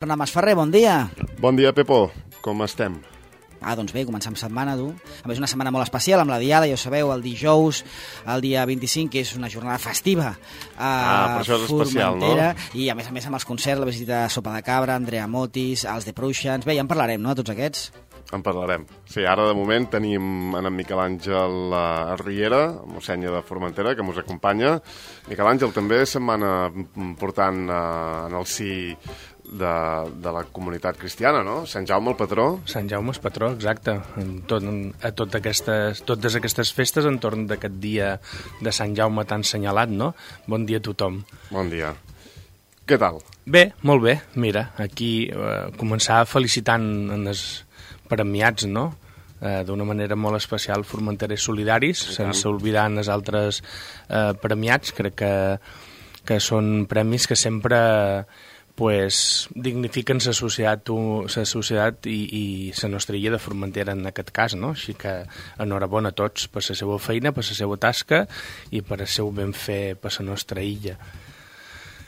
Bernat Masferrer, bon dia. Bon dia, Pepo. Com estem? Doncs bé, comencem setmana, tu. A més, una setmana molt especial, amb la Diada, ja ho sabeu, el dijous, el dia 25, que és una jornada festiva per això és especial, no? I a més amb els concerts, la visita a Sopa de Cabra, Andrea Motis, els The Prussians... Bé, ja en parlarem, no?, tots aquests. En parlarem. Sí, ara de moment tenim en Miquel Àngel Riera, mossènia de Formentera, que ens acompanya. Miquel Àngel, també setmana important en el si de la comunitat cristiana, no? Sant Jaume el patró. Sant Jaume és patró, exacte. Totes aquestes festes entorn d'aquest dia de Sant Jaume tan senyalat, no? Bon dia a tothom. Bon dia. Què tal? Bé, molt bé. Mira, aquí començar felicitant els premiats, no? D'una manera molt especial, Formenterers Solidaris, sense oblidar els altres premiats. Crec que són premis que sempre dignifiquen la societat i la nostra illa de Formentera en aquest cas, no? Així que enhorabona a tots per la seva feina, per la seva tasca i per el seu ben fer per la nostra illa.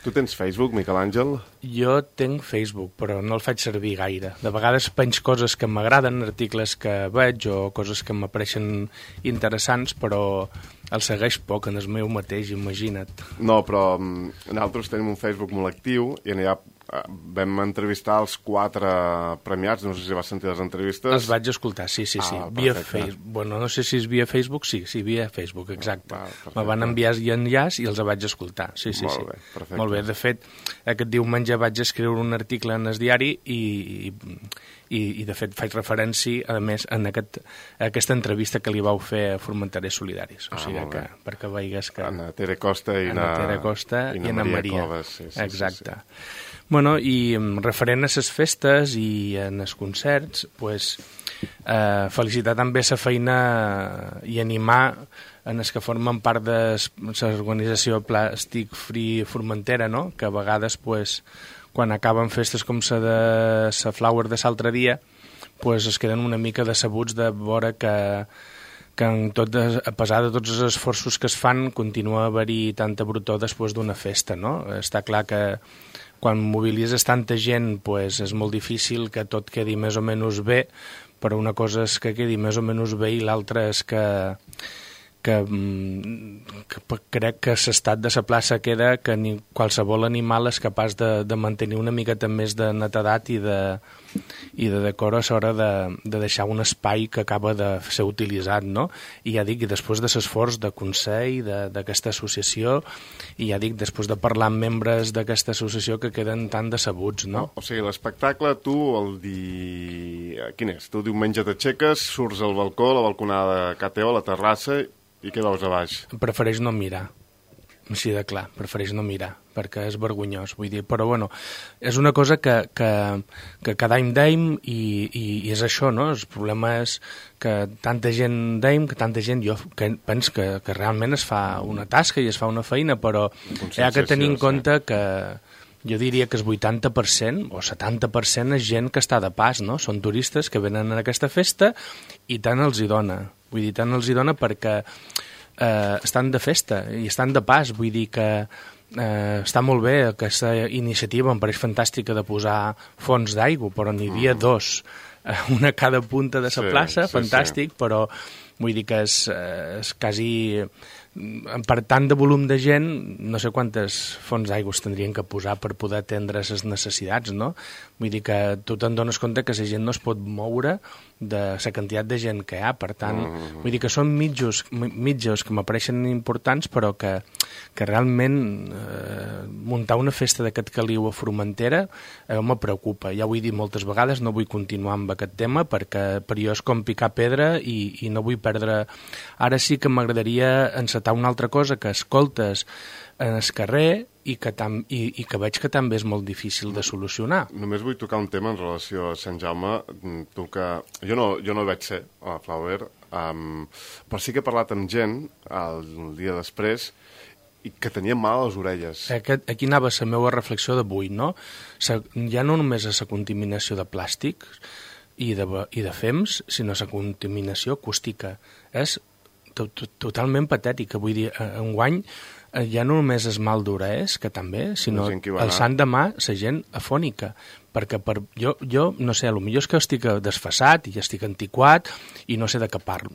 Tu tens Facebook, Miquel Àngel? Jo tinc Facebook, però no el faig servir gaire. De vegades penjo coses que m'agraden, articles que veig o coses que m'apareixen interessants, però el segueix poc en el meu mateix, imagina't. No, però nosaltres tenim un Facebook molt actiu i allà vam entrevistar els 4 premiats, no sé si vas sentir les entrevistes. Els vaig escoltar, sí. Via Facebook. Bueno, no sé si és via Facebook, sí, via Facebook, exacte. Me van enviar enllaç i els vaig escoltar, sí. Molt bé, perfecte. Molt bé, de fet, aquest diumenge vaig escriure un article en el diari i de fet faig referència, a més, a aquesta entrevista que li vau fer a Formenterers Solidaris. O sigui que, perquè veigues que... Anna Tere Costa i Anna Maria Coves. Sí, exacte. Sí. Bueno, i referent a les festes i en els concerts, felicitar també la feina i animar en els que formen part de l'organització Plàstic Free Formentera, no? Que a vegades, quan acaben festes com la de la Flower de l'altre dia, es queden una mica decebuts de veure que a pesar de tots els esforços que es fan, continua a haver-hi tanta brutor després d'una festa, no? Està clar que quan mobilitzes tanta gent és molt difícil que tot quedi més o menys bé, però una cosa és que quedi més o menys bé i l'altra és que crec que l'estat de la plaça queda que qualsevol animal és capaç de mantenir una miqueta més de netedat i de decor a l'hora de deixar un espai que acaba de ser utilitzat, no? I ja dic, després de l'esforç de consell d'aquesta associació, i ja dic, després de parlar amb membres d'aquesta associació que queden tan decebuts, no? O sigui, l'espectacle, tu quin és? Tu diumenge t'aixeques, surts al balcó, a la balconada de KTO, a la terrassa, i què veus a baix? Prefereix no mirar, així de clar, prefereix no mirar, perquè és vergonyós, vull dir, però bueno, és una cosa que cada any deim i és això, no? El problema és que tanta gent deim, que tanta gent, jo penso que realment es fa una tasca i es fa una feina, però hi ha que tenir en compte que jo diria que el 80% o 70% és gent que està de pas, no? Són turistes que venen a aquesta festa i tant els hi dona. Vull dir, tant els hi dona perquè estan de festa i estan de pas. Vull dir que està molt bé aquesta iniciativa, em pareix fantàstica de posar fonts d'aigua, però n'hi havia 2, una a cada punta de la plaça, fantàstic, però vull dir que és quasi... Per tant de volum de gent, no sé quantes fonts d'aigua tindrien que posar per poder atendre les necessitats, no? Vull dir que tu te'n dones compte que la gent no es pot moure de la quantitat de gent que hi ha, per tant, vull dir que són mitjos que m'apareixen importants, però que realment muntar una festa d'aquest caliu a Formentera me preocupa. Ja ho he dit moltes vegades, no vull continuar amb aquest tema, perquè per jo és com picar pedra i no vull perdre... Ara sí que m'agradaria encetar una altra cosa que escoltes en el carrer i que veig que també és molt difícil de solucionar. Només vull tocar un tema en relació a Sant Jaume. Jo no vaig ser a la Flower, però sí que he parlat amb gent el dia després i que tenia mal a les orelles. Aquí anava la meva reflexió d'avui, no? Ja no només és la contaminació de plàstic i de fems, sinó la contaminació acústica. És totalment patètica. Vull dir, enguany ja no només és mal d'orelles, que també, sinó el sant demà la gent afònica. perquè jo no sé, potser és que estic desfasat i estic antiquat i no sé de què parlo.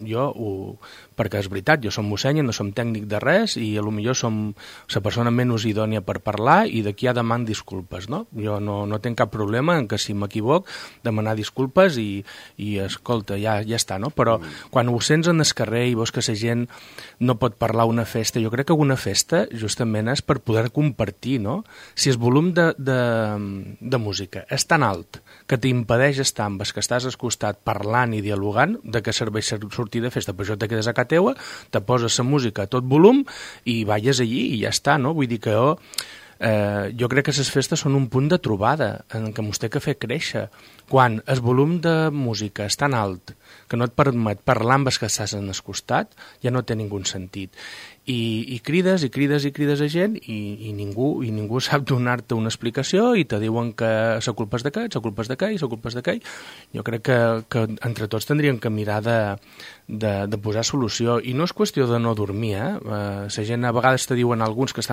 Perquè és veritat, jo som mossèn, no som tècnic de res i potser som la persona menys idònia per parlar i d'aquí ja deman disculpes, no? Jo no tinc cap problema en que si m'equivoc demanar disculpes i escolta, ja està, no? Però quan ho sents en el carrer i veus que la gent no pot parlar a una festa, jo crec que una festa justament és per poder compartir, no? Si el volum de música és tan alt que t'impedeix estar amb els que estàs al costat parlant i dialogant, de què serveix sortir de festa? Per això te quedes a casa teua, te poses la música a tot volum i balles allí i ja està, no? Vull dir que jo crec que les festes són un punt de trobada en què mos té que fer créixer. Quan el volum de música és tan alt que no et permet parlar amb els que estàs en el costat, ja no té ningú sentit. I crides a gent i ningú sap donar-te una explicació i te diuen que la culpa és d'aquest, la culpa és d'aquell, la culpa és d'aquell. Jo crec que entre tots tindríem que mirar de posar solució. I no és qüestió de no dormir, la gent a vegades te diuen alguns que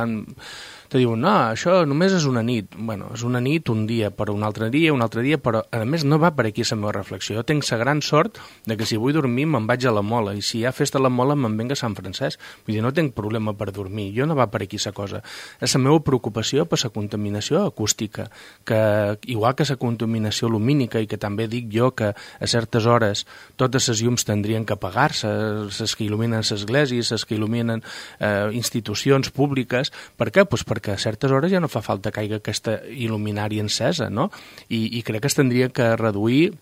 te diuen, no, això només és una nit. Bueno, és una nit un dia, però un altre dia, però a més no va per aquí la meva reflexió. Jo tinc la gran sort de que si vull dormir me'n vaig a la Mola i si hi ha festa a la Mola me'n venc a Sant Francesc. Vull dir, no tinc problema per dormir, jo no va per aquí la cosa. És la meva preocupació per la contaminació acústica, que igual que la contaminació lumínica i que també dic jo que a certes hores totes les llums tindrien que apagar-se, les que il·luminen les esglésies, les que il·luminen institucions públiques. Per què? Pues perquè a certes hores ja no fa falta que hi hagi aquesta il·luminària encesa, no? I crec que es tindria que reduir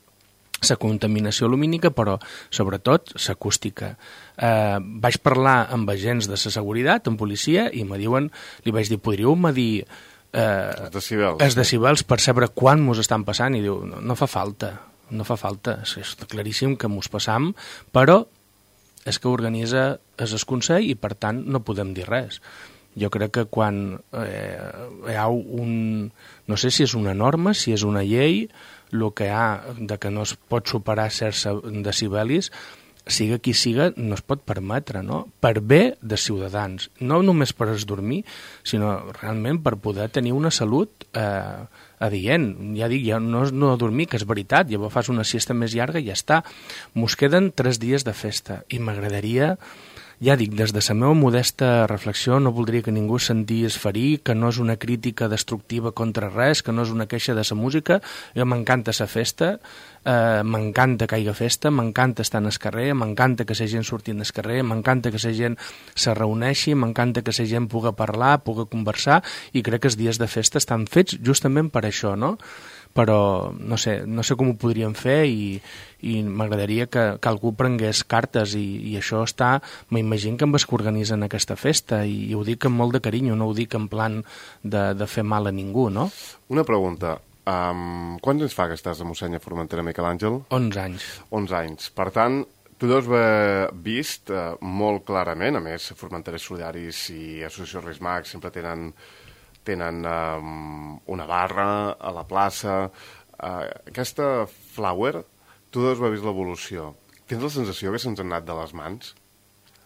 la contaminació lumínica, però sobretot l'acústica. Vaig parlar amb agents de la seguretat, amb policia, i li vaig dir, podríeu medir els decibels per saber quan mos estan passant? I diu, no fa falta, és claríssim que mos passam, però és que organitza el Consell i per tant no podem dir res. Jo crec que quan hi ha no sé si és una norma, si és una llei, el que hi ha de que no es pot superar certs decibelis, siga qui siga, no es pot permetre, no? Per bé de ciutadans, no només per dormir, sinó realment per poder tenir una salut adient. Ja dic, ja no és no dormir, que és veritat, llavors fas una siesta més llarga i ja està. Mos queden 3 dies de festa i m'agradaria, ja dic, des de la meva modesta reflexió no voldria que ningú sentís ferir, que no és una crítica destructiva contra res, que no és una queixa de la música. Jo m'encanta la festa, m'encanta que hi hagi festa, m'encanta estar en el carrer, m'encanta que la gent surti al carrer, m'encanta que la gent se reuneixi, m'encanta que la gent pugui parlar, pugui conversar, i crec que els dies de festa estan fets justament per això, no? Però no sé com ho podríem fer i m'agradaria que algú prengués cartes i això està, m'imagino que amb els que organitzen aquesta festa i ho dic amb molt de carinyo, no ho dic en plan de fer mal a ningú, no? Una pregunta, quants anys fa que estàs a Mossèn a Formentera, Miquel Àngel? 11 anys. 11 anys, per tant, tu deus haver vist molt clarament, a més, Formenteres Solidaris i Associació Rismac sempre tenen una barra a la plaça. Aquesta flower, tu deus haver vist l'evolució. Tens la sensació que se'ns han anat de les mans?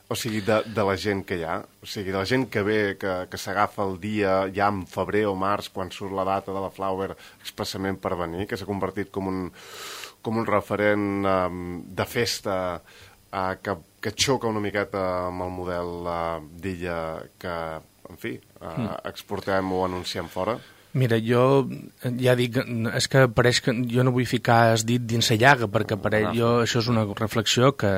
O sigui, de la gent que hi ha? O sigui, de la gent que ve, que s'agafa el dia ja en febrer o març, quan surt la data de la flower, expressament per venir, que s'ha convertit com un referent de festa que xoca una miqueta amb el model d'illa que, en fi, exportem o anunciem fora? Mira, jo ja dic, és que pareix que jo no vull ficar el dit dins la llaga, perquè això és una reflexió que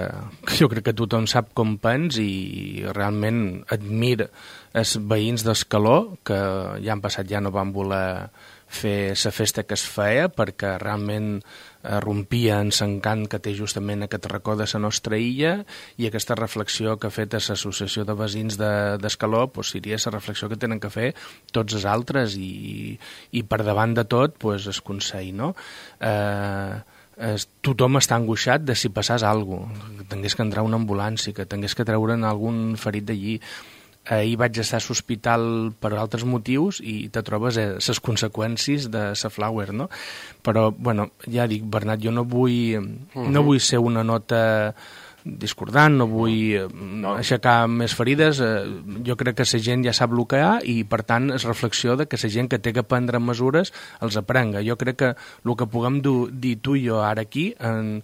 jo crec que tothom sap com pens i realment admira els veïns d'Escaló, que ja han passat, ja no van voler fer la festa que es feia perquè realment rompia en l'encant que té justament aquest racó de la nostra illa, i aquesta reflexió que ha fet l'Associació de Veïns d'Escaló seria la reflexió que tenen que fer tots els altres i per davant de tot el Consell, no? Tothom està angoixat de si passàs alguna cosa, que tingués que entrar una ambulància, que tingués que treure'n algun ferit d'allí. Ahir vaig estar a l'hospital per altres motius i te trobes les conseqüències de la flower, no? Però, bueno, ja dic, Bernat, jo no vull ser una nota discordant, no vull aixecar més ferides, jo crec que la gent ja sap el que hi ha i per tant és reflexió de que la gent que té que prendre mesures els aprenga. Jo crec que el que puguem dir tu i jo ara aquí en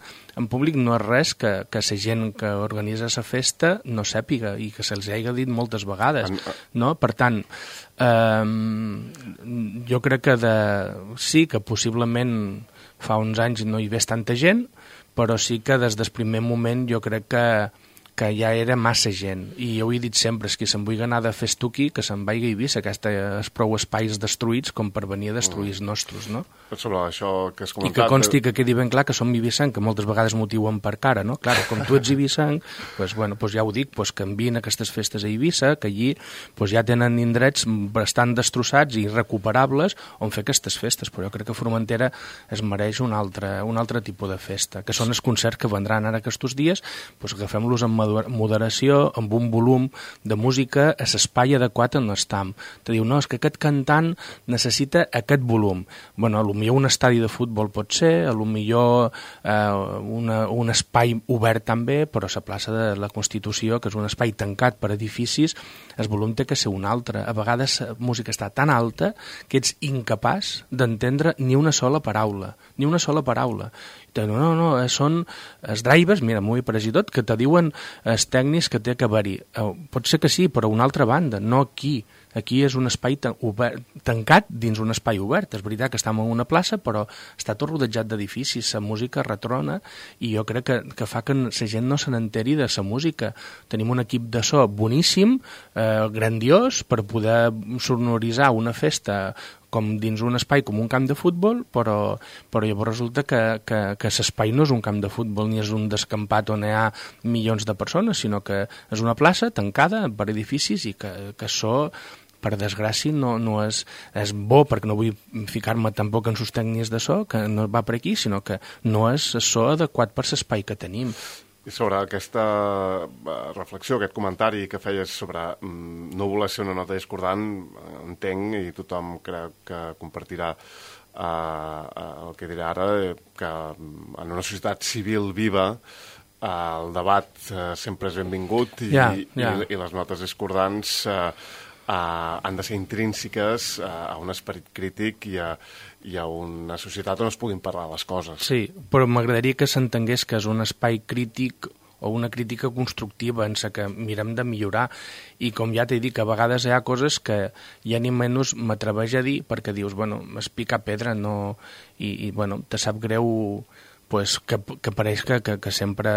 públic no és res que la gent que organitza la festa no sàpiga i que se'ls hagi dit moltes vegades, no? Per tant, jo crec que sí que possiblement fa uns anys no hi hagués tanta gent, però sí que des del primer moment jo crec que ja era massa gent. I jo ho he dit sempre, és que se'n vull anar de festuqui, que se'n vagi a Eivissa, que és prou espais destruïts com per venir a destruir els nostres, no? Sobre això que has comentat... I que consti que quedi ben clar que som eivissenc, que moltes vegades m'ho diuen per cara, no? Clar, com tu ets eivissenc, doncs, bueno, doncs ja ho dic, doncs que envien aquestes festes a Eivissa, que allí doncs ja tenen indrets bastant destrossats i irrecuperables on fer aquestes festes, però jo crec que Formentera es mereix un altre tipus de festa, que són els concerts que vendran ara aquests dies, doncs agafem-los amb moderació, amb un volum de música a l'espai adequat on estem. Te diu, no, és que aquest cantant necessita aquest volum. Bueno, potser un estadi de futbol pot ser, potser un espai obert també, però a la plaça de la Constitució, que és un espai tancat per edificis, el volum té que ser un altre. A vegades la música està tan alta que ets incapaç d'entendre ni una sola paraula. Ni una sola paraula. No, són els drivers, mira, m'ho he pres i tot, que te diuen els tècnics que té que haver-hi. Pot ser que sí, però una altra banda, no aquí. Aquí és un espai tancat dins un espai obert. És veritat que estem en una plaça, però està tot rodejat d'edificis, la música retrona, i jo crec que fa que la gent no se n'enteri de la música. Tenim un equip de so boníssim, grandiós, per poder sonoritzar una festa com dins un espai com un camp de futbol, però llavors resulta que l'espai no és un camp de futbol ni és un descampat on hi ha milions de persones, sinó que és una plaça tancada per edificis i que això, per desgràcia, no és bo, perquè no vull ficar-me tampoc en sus tècnics de so, que no va per aquí, sinó que no és so adequat per l'espai que tenim. I sobre aquesta reflexió, aquest comentari que feies sobre no voler ser una nota discordant, entenc, i tothom crec que compartirà el que diré ara, que en una societat civil viva el debat sempre és benvingut i les notes discordants han de ser intrínseques a un esperit crític i a una societat on es puguin parlar les coses. Sí, però m'agradaria que s'entengués que és un espai crític o una crítica constructiva en la que mirem de millorar, i com ja t'he dit, a vegades hi ha coses que ja ni menys m'atreveix a dir perquè dius, bueno, es pica pedra, no... i bueno, te sap greu pues, que pareix que sempre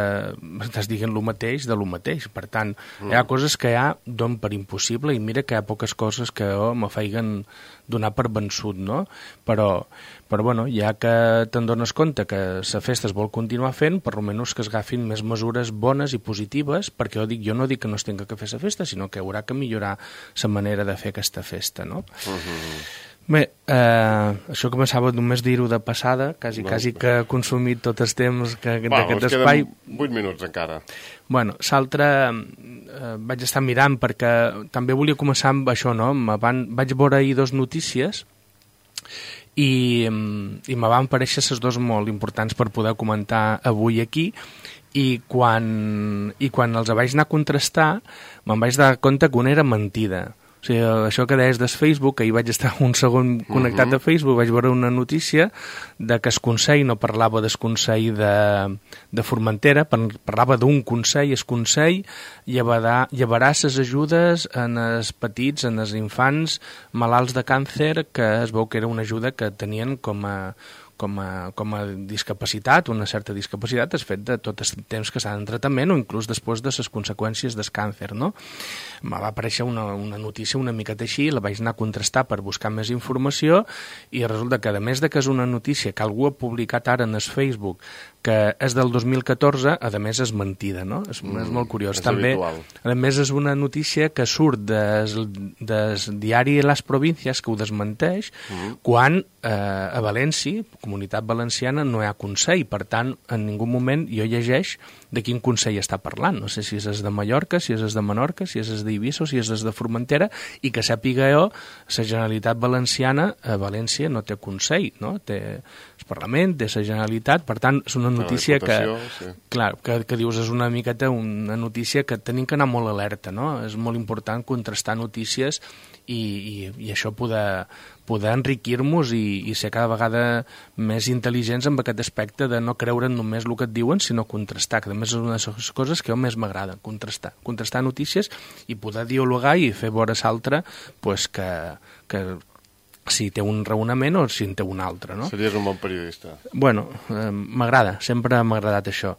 estàs dient el mateix de lo mateix. Per tant, hi ha coses que ja donen per impossible i mira que hi ha poques coses que me feien donar per vençut, no? Però bueno, ja que te'n dones compte que la festa es vol continuar fent, per almenys que es agafin més mesures bones i positives, perquè jo no dic que no es tinga que fer la festa, sinó que haurà que millorar la manera de fer aquesta festa, no? Bé, això començava només dir-ho de passada, quasi que he consumit tot el temps d'aquest espai. Queden 8 minuts encara. Bueno, l'altre vaig estar mirant perquè també volia començar amb això, no? Vaig veure ahir 2 notícies i me van parèixer les 2 molt importants per poder comentar avui aquí, i quan els vaig anar a contrastar me'n vaig dar compte que una era mentida. O sigui, això que deies del Facebook, que ahir vaig estar un segon connectat a Facebook, vaig veure una notícia de que el Consell no parlava del Consell de Formentera, parlava d'un Consell, el Consell llevarà les ajudes en els petits, en els infants malalts de càncer, que es veu que era una ajuda que tenien com a discapacitat, una certa discapacitat, és fet de tot el temps que estan en tractament o inclús després de les conseqüències del càncer, no? Me va aparèixer una notícia una miqueta així, la vaig anar a contrastar per buscar més informació i resulta que, a més de que és una notícia que algú ha publicat ara en el Facebook, que és del 2014, a més és mentida, no? És molt curiós. També, a més, és una notícia que surt del diari Las Provincias, que ho desmenteix, quan a València, Comunitat Valenciana, no hi ha Consell. Per tant, en ningú moment jo llegeix de quin Consell està parlant. No sé si és de Mallorca, si és de Menorca, si és d'Eivissa o si és de Formentera, i que sàpiga jo, la Generalitat Valenciana a València no té Consell, no? Té el Parlament, té la Generalitat, per tant, és una notícia que dius, és una miqueta una notícia que tenim que anar molt alerta, no? És molt important contrastar notícies i això poder enriquir-nos i ser cada vegada més intel·ligents amb aquest aspecte de no creure només el que et diuen, sinó contrastar, que a més és una de les coses que a mi més m'agrada, contrastar notícies i poder dialogar i fer veure l'altre pues, que si té un raonament o si en té un altre, no? Series un bon periodista. Bueno, m'agrada, sempre m'ha agradat això.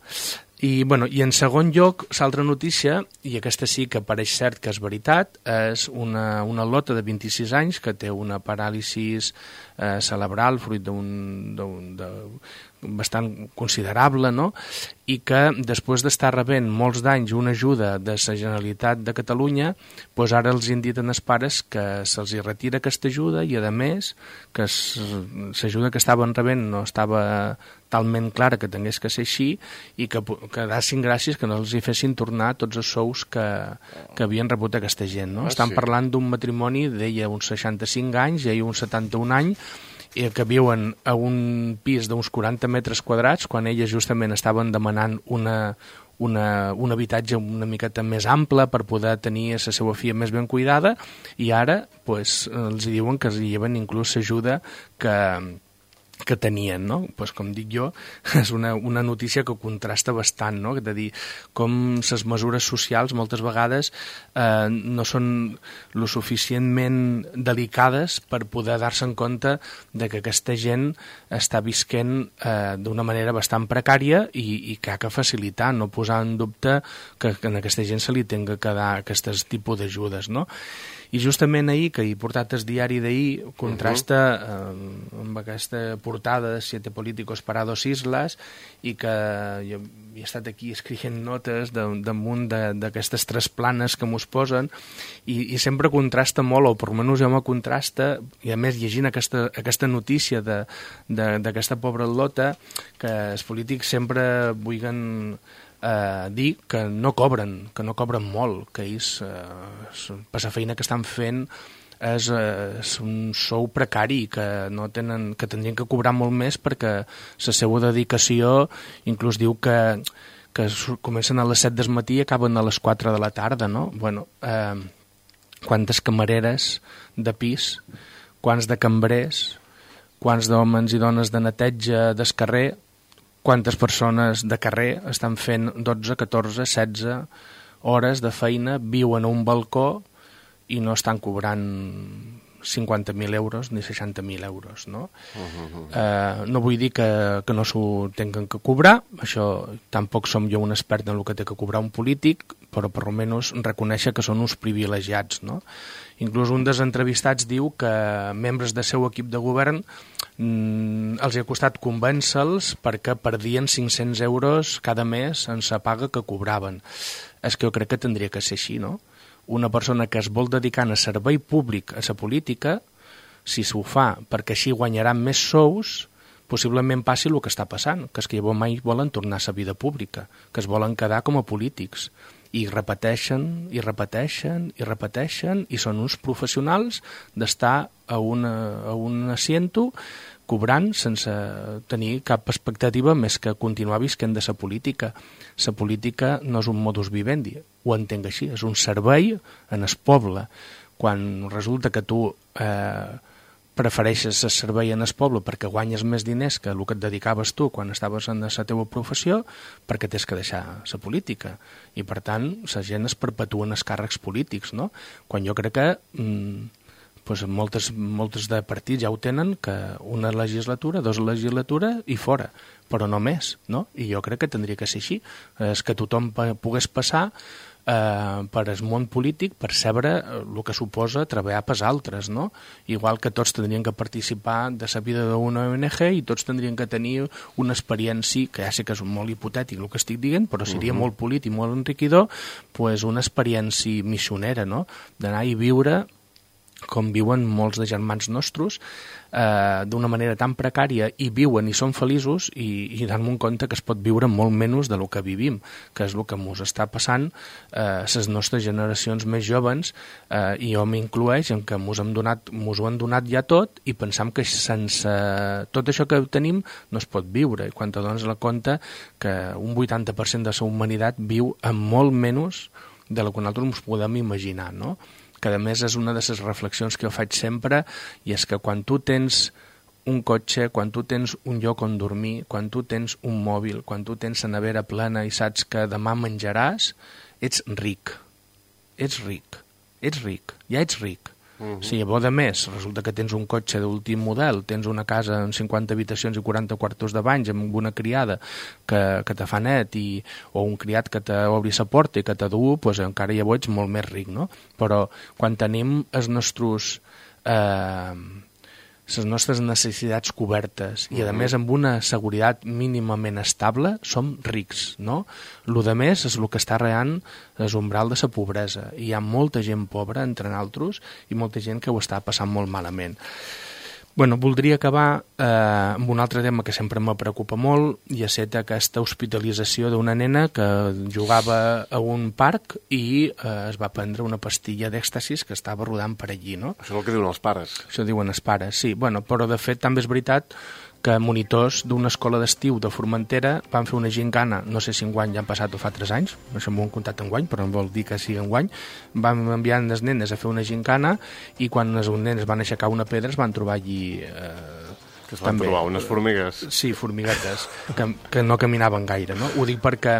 I en segon lloc, l'altra notícia, i aquesta sí que pareix cert que és veritat, és una lota de 26 anys que té una paràlisi cerebral fruit bastant considerable, no? I que després d'estar rebent molts d'anys una ajuda de la Generalitat de Catalunya, doncs ara els inditen els pares que se'ls retira aquesta ajuda i, a més, que l'ajuda que estaven rebent no estava talment clara que tingués que ser així i que dassin gràcies que no els hi fessin tornar tots els sous que havien rebut aquesta gent, no? Estan parlant d'un matrimoni d'ella uns 65 anys i ell uns 71 anys, que viuen a un pis d'uns 40 metres quadrats quan elles justament estaven demanant un habitatge una miqueta més ample per poder tenir la seva filla més ben cuidada, i ara pues, els diuen que els lleven inclús l'ajuda que tenien, no? Pues, com dic jo, és una notícia que contrasta bastant, no? De dir com les mesures socials moltes vegades no són lo suficientment delicades per poder dar-se en compte de que aquesta gent està visquent d'una manera bastant precària i que ha que facilitar, no posar en dubte que a aquesta gent se li tenga que dar aquests tipus d'ajudes, no? I justament ahir, que he portat el diari d'ahir, contrasta amb aquesta portada de 7 políticos para 2 islas, i que jo he estat aquí escrivint notes damunt d'aquestes 3 planes que mos posen, i sempre contrasta molt, o per almenys jo me contrasta, i a més llegint aquesta notícia d'aquesta pobra lota, que els polítics sempre vulguin dir que no cobren molt, que ells per la feina que estan fent és un sou precari, que tindrien que cobrar molt més perquè la seva dedicació inclús diu que comencen a les 7 del matí i acaben a les 4 de la tarda, no? Bueno, quantes camareres de pis, quants de cambrers, quants d'homes i dones de neteja del carrer, quantes persones de carrer estan fent 12, 14, 16 hores de feina, viuen a un balcó i no estan cobrant 50.000 euros ni 60.000 euros, no? No vull dir que no s'ho tinguin que cobrar, això tampoc som jo un expert en el que té que cobrar un polític, però per almenys reconèixer que són uns privilegiats, no? Inclús un dels entrevistats diu que membres del seu equip de govern els ha costat convèncer-los perquè perdien 500 euros cada mes en la paga que cobraven. És que jo crec que tindria que ser així, no? Una persona que es vol dedicar a servei públic a la política, si s'ho fa perquè així guanyaran més sous, possiblement passi el que està passant, que és que llavors mai volen tornar a la vida pública, que es volen quedar com a polítics. I repeteixen, i repeteixen, i repeteixen, i són uns professionals d'estar a un asiento cobrant sense tenir cap expectativa més que continuar visquent de la política. La política no és un modus vivendi, ho entenc així, és un servei en el poble. Quan resulta que tu prefereixes el servei en el poble perquè guanyes més diners que el que et dedicaves tu quan estaves en la teva professió, perquè tens que deixar la política. I, per tant, la gent es perpetuen els càrrecs polítics, no? Quan jo crec que moltes de partits ja ho tenen, que una legislatura, 2 legislatures i fora, però no més, no? I jo crec que tindria que ser així. És que tothom pogués passar per el món polític per saber el que suposa treballar per altres, no? Igual que tots tindrien que participar de la vida d'una ONG i tots tindrien que tenir una experiència, que ja sé que és molt hipotètic el que estic dient, però seria molt polític, molt enriquidor, pues una experiència missionera, no? D'anar i viure com viuen molts de germans nostres, d'una manera tan precària, i viuen i són feliços, i dan-me un compte que es pot viure molt menys del que vivim, que és el que ens està passant les nostres generacions més joves, i jo m'incloeix en que ens ho han donat ja tot, i pensam que sense tot això que tenim no es pot viure, i quan te dones la compte que un 80% de la humanitat viu amb molt menys de lo que nosaltres ens podem imaginar, no? Que a més és una de les reflexions que jo faig sempre, i és que quan tu tens un cotxe, quan tu tens un lloc on dormir, quan tu tens un mòbil, quan tu tens la nevera plena i saps que demà menjaràs, ets ric. Ets ric. Ja ets ric. Si llavors, a més, resulta que tens un cotxe d'últim model, tens una casa amb 50 habitacions i 40 quartos de banys, amb una criada que te fa net, o un criat que t'obri la porta i que te du, doncs encara llavors ets molt més ric, no? Però quan tenim les nostres necessitats cobertes i, a més, amb una seguretat mínimament estable, som rics, no? Lo de més és el que està reant l'umbral de la pobresa. I hi ha molta gent pobra entre nosaltres i molta gent que ho està passant molt malament. Bueno, voldria acabar amb un altre tema que sempre me preocupa molt, i és aquesta hospitalització d'una nena que jugava a un parc i es va prendre una pastilla d'èxtasis que estava rodant per allí, no? Això és el que diuen els pares. Això diuen els pares, sí. Bueno, però de fet també és veritat que monitors d'una escola d'estiu de Formentera van fer una gincana, no sé si enguany ja han passat o fa 3 anys, això m'ho han contat enguany, però no vol dir que sigui enguany, van enviar les nenes a fer una gincana, i quan les nenes van aixecar una pedra es van trobar allí... que es van trobar unes formigues. Sí, formiguetes, que no caminaven gaire, no? Ho dic perquè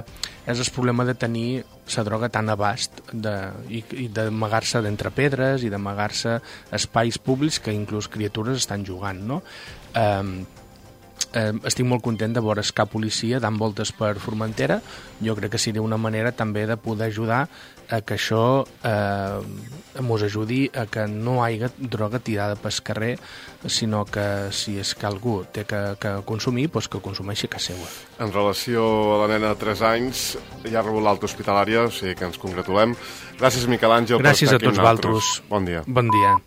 és el problema de tenir la droga tan abast i d'amagar-se d'entre pedres i d'amagar-se espais públics que inclús criatures estan jugant, no? Estic molt content de veure cap policia dant voltes per Formentera. Jo crec que seria una manera també de poder ajudar a que això ens ajudi a que no hi hagi droga tirada pel carrer, sinó que si és que algú té que consumir, doncs que consumeixi a casa seva. En relació a la nena de 3 anys, ja ha rebut l'alta hospitalària, o sigui que ens congratulem. Gràcies, Miquel Àngel, Gràcies per estar aquí amb nosaltres. Gràcies a tots vosaltres. Bon dia. Bon dia.